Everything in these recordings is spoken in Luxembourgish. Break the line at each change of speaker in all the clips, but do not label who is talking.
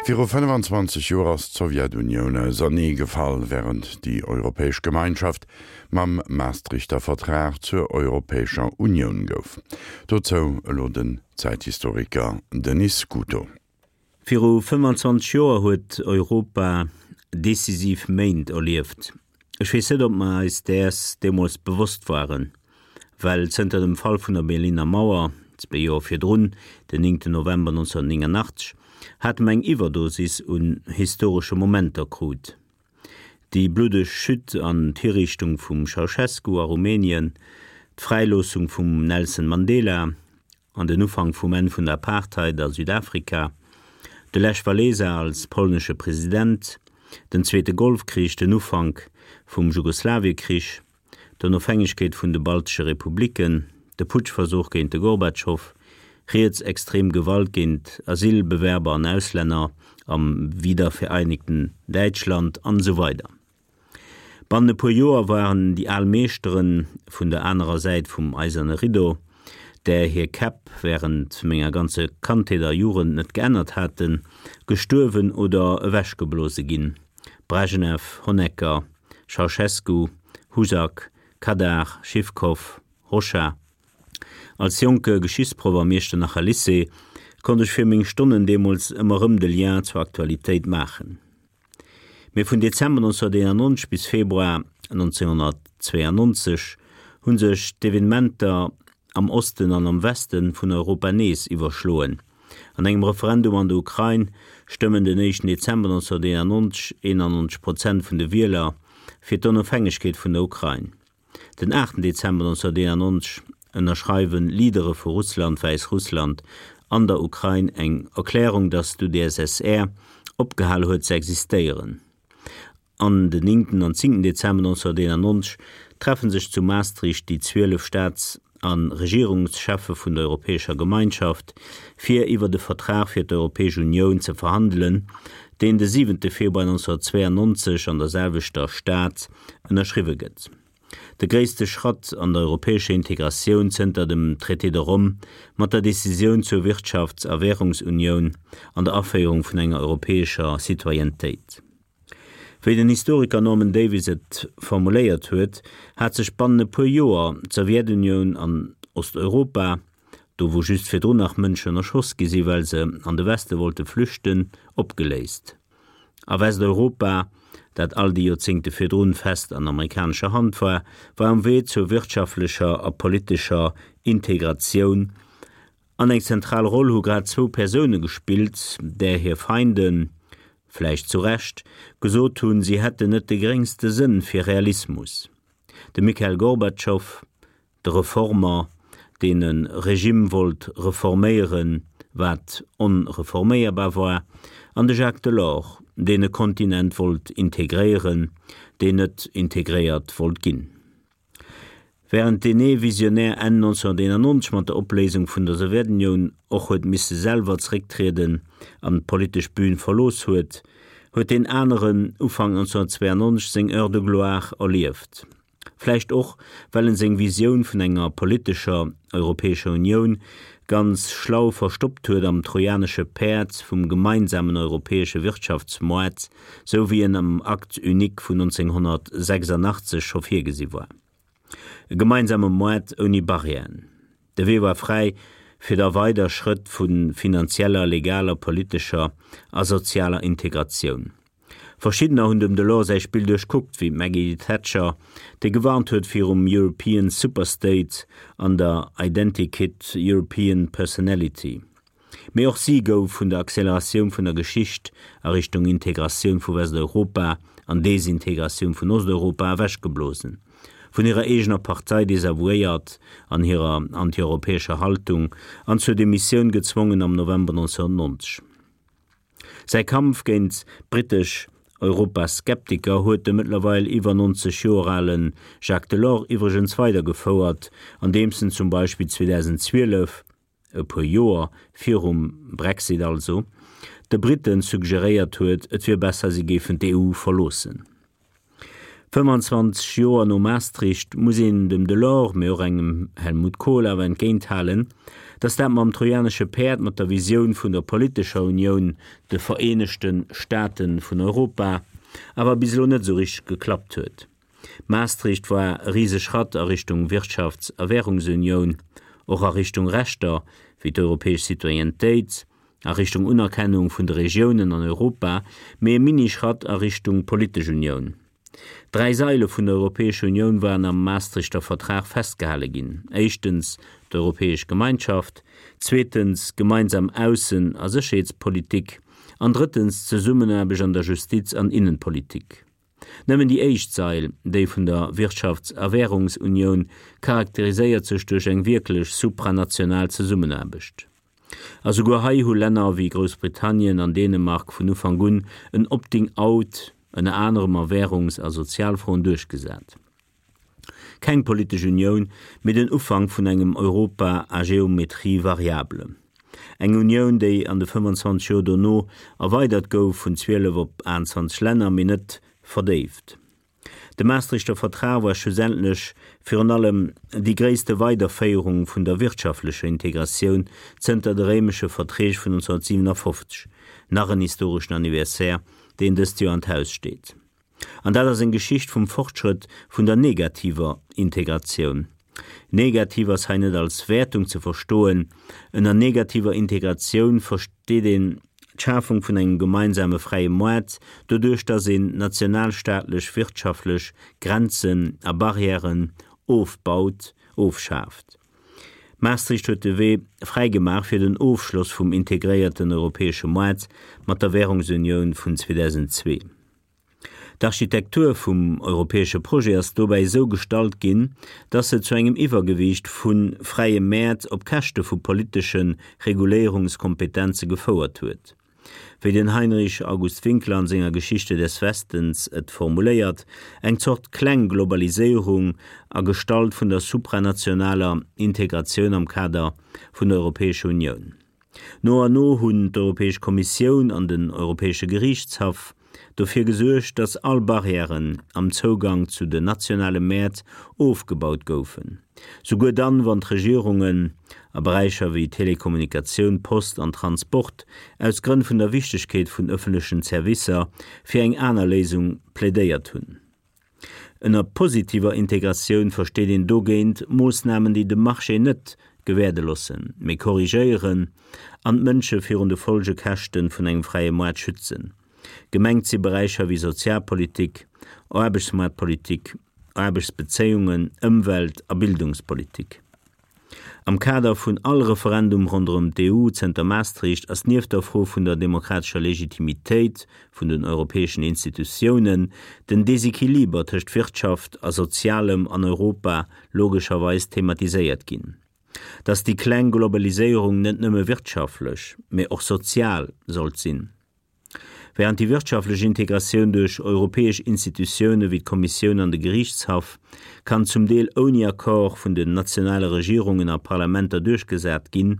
Viru 25 Joer ass d'Sowjetunioun ausernee gefall, wärend déi Europäesch Gemeinschaft mam Maastrichter Vertrag zur Europäescher Unioun gouf. Dozou elo den Zäithistoriker Denis Scuto.
Viru 25 Joer huet Europa decisiv Méint erlieft. Ech weess net, ob mer eis däers deemools bewosst waren, well zënter dem Fall vun der Berliner Mauer, zwee Joer virdrun, den 9 November 1989, hate mer eng Iwwerdosis un historesche Momenter krut. Déi bluddeg Chute an d'Hiriichtung vum Ceausescu a Rumänien, d'Fräiloossung vum Nelson Mandela, an den Ufank vum Enn vun der Apartheid a Südafrika, de Lech Walesa als polnesche President, den Zweete Golfkrich, den Ufank vum Jugoslawiekrich, d'Onofhängegkeet vun de baltesche Republiken, de Putschversuch géint de Gorbatschow, rietsextrem Gewalt géint Asylbewerber an Auslänner am wiedervereinigten Däitschland an esou weider. Bannen e puer Joer waren déi al Meeschtere vun der anerer Säit vum eiserne Rideau, där hir Käpp wärend menger ganze Kandheet a Jugend net geännert haten, gestuerwen oder ewechgeblose ginn, Brejnew, Honecker, Ceausescu, Husak, Kadar, Schiwkow, Hoxha. Als jonke Geschichtsproff am Iechternacher Lycée konnt ech fir meng Stonnen deemools ëmmer rëm de Lien zur Aktualitéit maachen. Mee vun Dezember 1991 bis Februar 1992 hu sech d'Evenementer am Osten an am Weste vun Europa nees iwwerschloen. An engem Referendum an der Ukrain stëmmen den éischten Dezember 1991 91 Prozent vun de Wieler fir d'Onofhängegkeet vun der Ukrain. Den aachten Dezember 1991 ënnerschreiwen Leadere vu Russland, Wäissrussland an der Ukrain eng Erklärung, datt d'UdSSR opgehal huet ze existéieren. An den néngten an zéngten Dezember 1991 treffe sech zu Maastricht déi 12 Staats a Regierungscheffe vun der Europäescher Gemeinschaft, fir iwwert e Vertrag fir d'Europäesch Unioun ze verhandelen, deen de siwente Februar 1992 an der selwechter Stad ënnerschriwwe gëtt. De gréisste Schratt an der europäescher Integratioun zënter dem Traité de Rome mat der Decisioun zur Wirtschafts a Währungsunioun an der Aféierung vun enger europäescher Citoyennetéit. Wéi den Historiker Norman Davies et formuléiert huet, hat sech bannen e puer Joer d'Sowjetunioun an Osteuropa, do wou just virdrun nach Mënschen erschoss gi si well se an de Weste wollte flüchten, opgeléist. A Westeuropa, dat all déi Joerzéngte virdrun fest an amerikanescher Hand war, war um Wee zur wirtschaftlecher a politescher Integratioun. An eng zentral Roll hu grad zwou Persoune gespillt, där hir Feinden, vläicht zu Recht, gesot hunn, si hätten net de gréngste Sënn fir Realismus, de Mikhail Gorbatschow, de Reformer, deen e Regime wollt reforméieren, wat onreforméierbar war, an de Jacques Delors, deen e Kontinent wollt integréieren, deen net integréiert wollt ginn. Wärend deen ee Visionär Enn 1991 mat der Opléisung vun der Sowjetunioun och huet misse selwer zerécktrieden an d'politesch Bün verlooss huet, huet deen aneren Ufank 1992 seng Heure de gloire erlieft. Vläicht och, well en seng Visioun vun enger politescher Europäescher Unioun ganz schlau verstoppt huet am trojanesche Päerd vum gemeinsamen europäesche Wirtschaftsmoart, sou wéi en am Acte unique vun 1986 scho virgesi war. E gemeinsame Moart ouni Barrièren. De Wee war fräi fir da weider Schrëtt vu finanzieller, legaler, politescher a sozialer Integratioun. Verschiddener hunn dem Delors säi Spill duerchkuckt, wéi d'Maggie Thatcher, déi gewarnt huet virum European Superstate an der Identikit European Personality. Mee och si gouf vun der Acceleratioun vun der Geschicht a Richtung Integratioun vu Westeuropa an Desintegratioun vun Osteuropa ewechgeblosen, vun hirer eegener Partei desavouéiert an hirer antieuropäescher Haltung an zur Demissioun gezwongen am November 1990. Säi Kampf géint d'brittesch Europaskeptiker huet de mëttlerweil iwwer 90 Joer ale Jacques Delors iwwregens weidergefouert, andeems en zum Beispill 2012, e puer Joer virum Brexit also, de Britten suggeréiert huet, et wier besser si géifen d'EU verloossen. 25 Joer no Maastricht muss een dem Delors, mee och engem Helmut Kohl awer entgéinthalen, datt dat mam trojanesche Päerd, mat der Visioun vun der politescher Unioun, de Vereenegte Staate vun Europa, awer bis elo net esou richteg geklappt huet. Maastricht war e rise Schratt a Richtung Wirtschafts a Währungsunioun, och a Richtung Rechter wéi d'europäesch Citoyennetéit, a Richtung Unerkennung vun de Regiounen an Europa, mee e Mini-Schratt a Richtung politesch Unioun. Dräi Saile vun der Europäescher Unioun waren am Maastrichter Vertrag festgehale ginn, éischtens d'Europäesch Gemeinschaft, zweetens gemeinsam Aussen a Sécherheetspolitik an drëttens d'Zesummenaarbecht an der Justiz an Innenpolitik. Nëmmen déi éischt Sail, déi vun der Wirtschafts a Währungsunioun, charakteriséiert sech duerch eng wierklech supranational Zesummenaarbecht. A souguer hei hu Länner wéi Groussbritannien an Dänemark vun Ufank un en Opting out, ënner anerem a Währungs a Sozialfroen, duerchgesat. Keng politesch Unioun, mee den Ufank vun engem Europa à géométrie variable. Eng Unioun, déi an de 25 Joer dono erweidert gouf vun 12 op 28 Länner, mee net verdéift. De Maastrichter Vertrag war schlussendlech virun allem déi gréisste Weiderféierung vun der wirtschaftlecher Integratioun zënter de Réimesche Verträg vun 1957, nach en historeschen Anniversaire, deen dëst Joer an d'Haus steet. An dat ass eng Geschicht vum Fortschrëtt vun der negativer Integratioun. Negativ ass hei net als Wäertung ze verstoen. Ënner negativer Integratioun versteet een d'Schafung vun engem gemeinsame fräie Moart, doduerch datt een nationalstaatlech wirtschaftlech Grenzen a Barrièren ofbaut, ofschaaft. Maastricht huet de Wee fräi gemaach fir den Ofschloss vum integréierten europäesche Moart mat der Währungsunioun vun 2002. D'Architektur vum europäesche Projet ass dobäi esou gestalt ginn, dass se zu engem Iwwergewiicht vu fräie Mäert op Käschte vu politesche Reguléierungskompetenze gefouert huet. Wéi den Heinrich August Winkler an senger Geschichte des Westens et formuléiert, eng Zort kleng Globaliséierung a Gestalt vun der supranationaler Integratioun am Kader vun der Europäescher Unioun. No an no hunn d'Europäesch Kommissioun an den Europäesche Geriichtshaff dofir gesuergt, datt all Barrièren am Zougang zu den nationale Mäert ofgebaut goufen, souguer dann, wann d'Regierungen a Beräicher wéi Telekommunikatioun, Post an Transport aus Grënn vun der Wichtegkeet vun ëffentlechen Servicer fir eng aner Léisung plädéiert hunn. Ënner positiver Integratioun versteet een dogéint Moossnamen, déi de Marché net gewäerde loossen, mee korrigéieren an d'Mënsche virun de Folgekäschte vun engem fräie Moart schützen. Gemengt si Beräicher wéi Sozialpolitik, Aarbechtsmoartpolitik, Aarbechtsbezéiungen, Ëmwelt a Bildungspolitik. Am Kader vun all Referendum ronderëm d'EU zënter Maastricht ass nieft der Fro vun der demokratescher Legitimitéit vun den europäeschen Institutiounen den Desequiliber tëscht Wirtschaft a Sozialem an Europa logescherweis thematiséiert ginn. Datt déi kleng Globaliséierung net nëmme wirtschaftlech, mee och sozial sollt sinn. Während déi wirtschaftlech Integratioun duerch europäesch Institutioune wéi d'Kommissioun an de Geriichtshaff kann zum Deel ouni Accord vun den nationale Regierungen a Parlamenter duerchgesat ginn,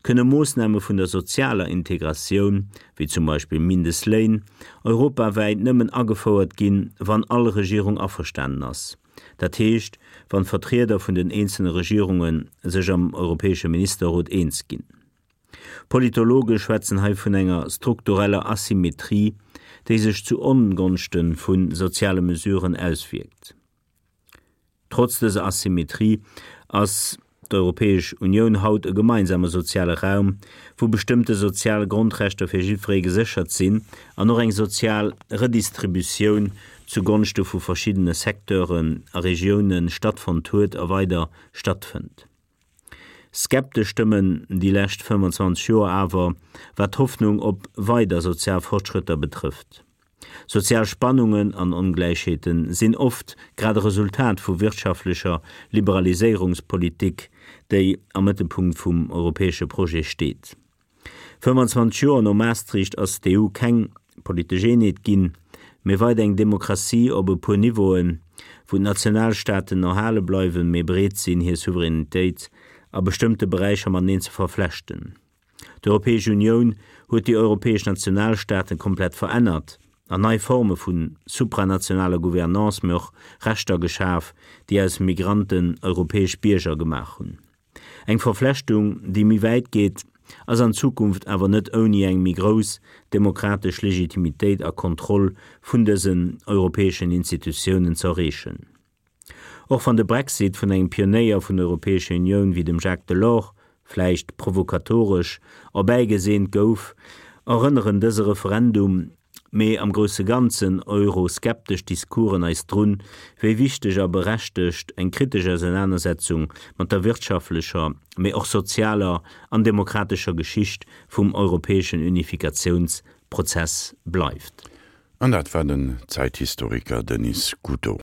kënne Moossname vun der sozialer Integratioun, wéi zum Beispill Mindestléin, europawäit nëmmen agefouert ginn, wann all Regierung averstanen ass, dat heescht, wann d'Vertrieder vun den eenzelne Regierunge sech am Europäesche Ministerrot eens ginn. Politologe schwätzen hei vun enger struktureller Asymmetrie, déi sech zu Ongonschte vu soziale Mesuren auswierkt. Trotz dëser Asymmetrie ass d'Europäesch Unioun haut e gemeinsame soziale Raum, wou bestëmmte sozial Grondrechter fir jiddweree geséchert sinn an och eng sozial Redistributioun zu Gonschte vu verschiddene Secteuren a Regioune stattfonnt huet a weider stattfënnt. Skeptesch stëmmen déi lescht 25 Joer awer, wat d'Hoffnung op weider sozial Fortschrëtter betrëfft. Sozial Spannungen an Ongläichheete sinn oft grad e Resultat vu wirtschaftlecher Liberaliséierungspolitik, déi am Mëttelpunkt vum europäesche Projet steet. 25 Joer no Maastricht ass d'EU keng politesch Eenheet ginn, mee weider eng Demokratie op e puer Niveauen, wou d'Nationalstaaten erhale bleiwen, mee bereet sinn, hir Souveränitéit a bestëmmte Beräicher mateneen ze verflechten. D'Europäesch Unioun huet déi europäesch Nationalstaaten komplett verännert. an nei Forme vu supranationaler Gouvernance, mee och Rechter geschaf, déi aus Migranten europäesch Bierger gemaach hunn. Eng Verflechtung, déi méi wäit geet, ass an Zukunft awer net ouni eng méi grouss demokratesch Legitimitéit a Kontroll vun dësen europäeschen Institutiounen ze erreechen. Och wann de Brexit vun engem Pionéier vun der Europäescher Unioun wéi dem Jacques Delors vläicht provokatoresch erbäigeseent gouf, erënneren dëse Referendum, mee am grousse Ganzen euroskeptesch Discoursen eis drun, wéi wichteg a berechtegt eng kritesch Ausenanersetzung mat der wirtschaftlecher, mee och sozialer an demokratescher Geschicht vum europäeschen Unifikatiounsprozess bleift.
An dat war den Zäithistoriker Denis Scuto.